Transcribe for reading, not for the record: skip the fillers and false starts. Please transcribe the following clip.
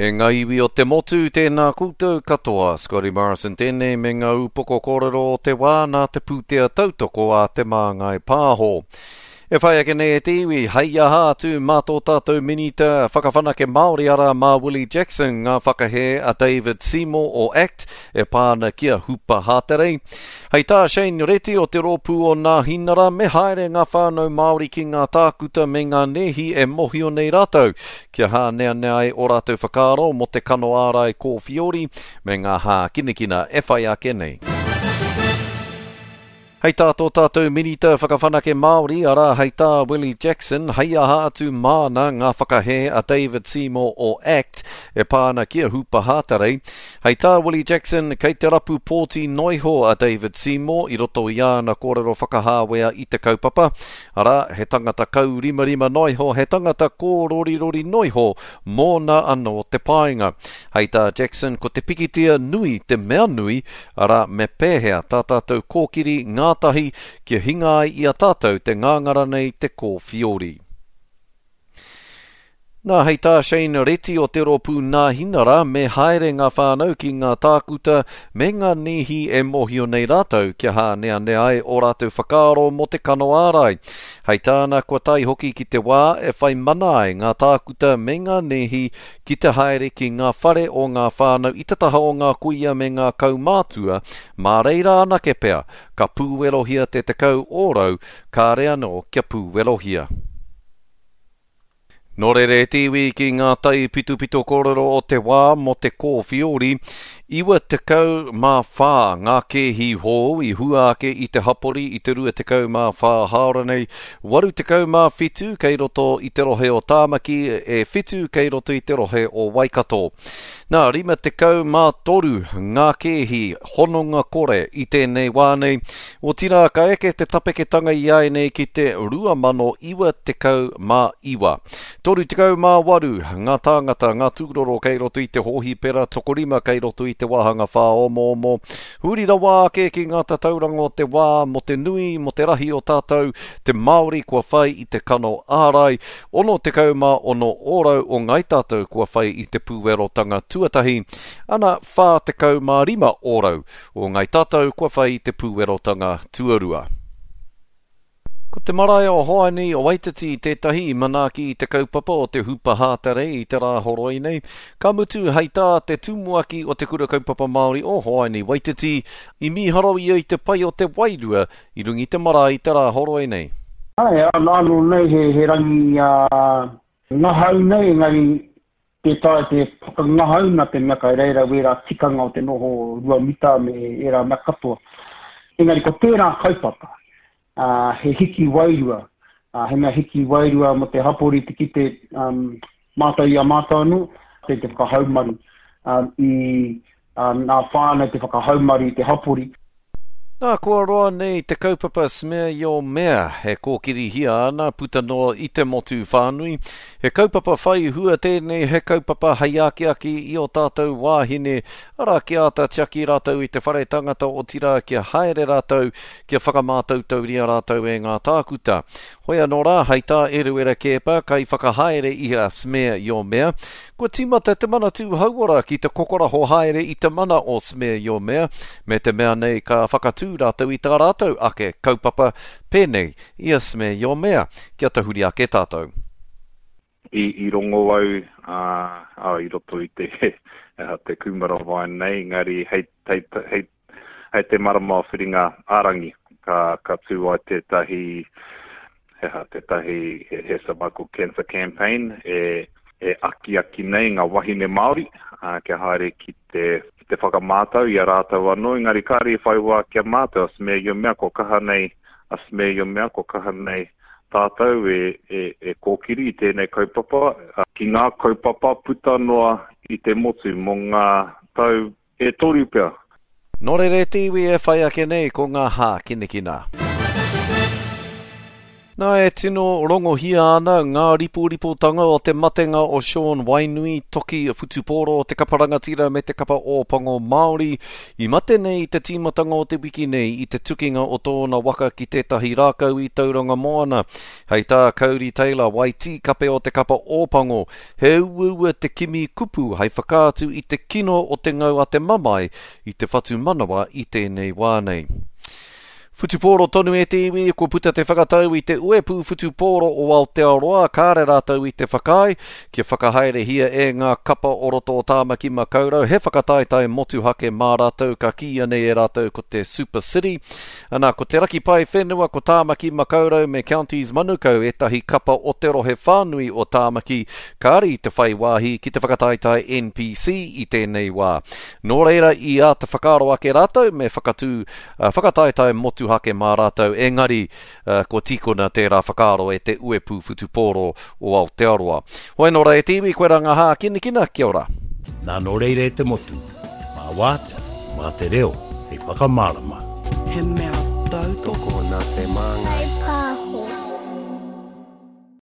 E ngā iwi o te motu, tēnā koutou katoa. Scotty Morrison tēnei me ngā upoko kōrero o te wā nā te pūtea tautoko a Te Māngai Pāho. E whai ake nei e te iwi, hei aha atu mā tō tātou Minita Whakawhanake Māori arā mā Willie Jackson ngā whakahē a David Seymour o act e pā ana ki a Hupa Hāterei. Hei tā Shane Reti o te rōpū o Nāhinara me haere ngā whānau Māori ki ngā tākuta me ngā nēhi e mohio nei rātou kia hāneanea ai ō rātou whakaaro mō te kano ārai kōwhiori me ngā hākinakina e whai ake nei. Hei tā tō tātou Minita Whakawhanake Māori, arā, hei tā Willie Jackson, hei aha atu māna ngā whakahē a David Seymour o act e pā ana ki a Hupa Hātarei. Hei tā Willie Jackson, kei te rapu pōti noiho a David Seymour i roto i āna kōrero whakahāwea i te kaupapa, Arā, he tangata kaurimarima noa iho, he tangata kōrorirori noa iho mōna anō te painga. Hei tā Jackson, ko te pikitia nui te mea nui, arā, me pēhea tā tātou kōkiri ngātahi kia hinga ai i a tātou te ngāngara nei te kōwhiori. Nā, hei tā Shane Reti o te rōpū Nāhinara, me haere ngā whānau ki ngā tākuta me ngā nīhi e mōhio nei rātou kia hāneanea ai ō rātou whakaaro mō te kano ārai. Hei tāna, kua tae hoki ki te wā e whai mana ai ngā tākuta me ngā nēhi ki te haere ki ngā whare o ngā whānau i te taha o ngā kuia me ngā kaumātua, mā reira anake pea ka pūwerohia te 10% kāre anō kia pūwerohia. Nō reira e te iwi ki ngā taipitopito kōrero o te wā mō te kōwhiori, 94 ngā kēhi hou i hua ake i te hapori i te 24 hāora nei, 87 kei roto i te rohe o Tāmaki, e whitu kei roto i te rohe o Waikato. Nā, 53 ngā kēhi hononga kore i tēnei wā nei, Otirā, ka eke te tapeketanga i āianei ki te 2099. 38 ngā tāngata, ngā tūroro kei roto i te hōhipera, tokorima kei roto i te wāhanga whāomoomo. Huri rawa ake ki ngā tatauranga o te wā mō te nui, mō te rahi o tātou, te Māori kua whai i te kano ārai, 66 ōrau o ngāi tātou kua whai i te pūwerotanga tuatahi, ana 45 ōrau O Ngai Tatau kua whai i te pūwerotanga tuarua. Ko te marae o Hoani o Waititi tētahi i manaaki i te kaupapa o te Hupa Hātarei i te Rāhoroi nei, ka mutu hei tā te tumuaki o Te Kura Kaupapa Māori o Hoani Waititi, i mīharo ia i te pai o te wairua i runga i te marae i te Rāhoroi nei. Āe, anō nei he rangi ngahau nei, engari Tē taea te whakangahau nā te mea kai reira wērā tikanga o te noho ruamita me ērā mea katoa. Engari ko tērā kaupapa, ā, he hiki wairua, ā, he mea hiki wairua mō te hapori te kite mātou i a mātou anō, te te whakahaumaru ā, i ā, nā whānau te whakahaumaru i te hapori. Nā, kua roa nei te kaupapa Smear Your Mea e kōkirihia ana puta noa i te motu whānui. He kaupapa whai hua tēnei, he kaupapa hei akiaki i ō tātou wāhine, arā, kia āta tiaki rātou i te whare tangata, otirā kia haere rātou, kia whakamātautauria rātou e ngā tākuta. Hoi anō rā, hei tā Eruera Keepa, kaiwhakahaere i a Smear Your Mea, Kua tīmata te Manatū Hauora ki te kokoraho haere i te mana o Smear Your Mea, me te mea nei ka whakatū rātou i tā rātou ake kaupapa pēnei i a Smear Your Mea. Kia tahuri ake tātou. I, i rongo au, ā, ā, i roto i te, te kūmara wine nei, engari hei, hei, hei Hei te marama o Whiringa ā-rangi ka, ka tū ai tētahi, he aha, tētahi he, he cervical cancer campaign e, e akiaki nei ngā wahine Māori ā, kia haere ki te, ki te whakamātau i a rātou anō, engari kāre i whai wā ki a mātou, a Smear Your Mea, kua kaha nei, a Smear Your Mea, kua kaha nei tātou e, e, e kōkiri i tēnei kaupapa, ki ngā kaupapa puta noa i te motu mō ngā tau E toru pea. Nō reira e te iwi e whai ake nei ko ngā hākinakina. Nā, e tino rongohia ana ngā riporipotanga o te matenga o Sean Wainui, toki whutupōro o te kapa rangatira me te kapa Ōpango Māori, i mate nei i te tīmatanga o te wiki nei i te tukinga o tōna waka ki tētahi rākau i Tauranga Moana. Hei tā Codie Taylor, Waitī kape o te kapa Ōpango, he uaua te kimi kupu hei whakaatu i te kino o te ngau a te mamae i te whatumanawa i tēnei wā nei. Whutupōro tonu e te iwi, kua puta te whakatau i te Uepū Whutupōro o Aotearoa, kāre rātou i te whakaae kia whakahaerehia e ngā kapa o roto o Tāmaki Makaurau he whakataetae motuhake mā rātou ka kīia nei e rātou ko te Super City. Ana, ko Te Raki Pae Whenua, ko Tāmaki Makaurau me Counties Manukau ētahi kapa o te rohe whānui o Tāmaki kāre i te whai wāhi ki te whakataetae NPC i tēnei wā. Nō reira i āta whakaaro ake rātou me whakatū whakataetae motuhake mā rātou, engari kua tīkona tērā whakaaro e te Uepū Whutupōro o Aotearoa. Hoi nō rā e te iwi, koe rā ngā hākinakina, kia ora. Nā nō reira e te motu, mā wātea, mā te reo hei whakamārama. He mea tautoko. Tokona te māngai.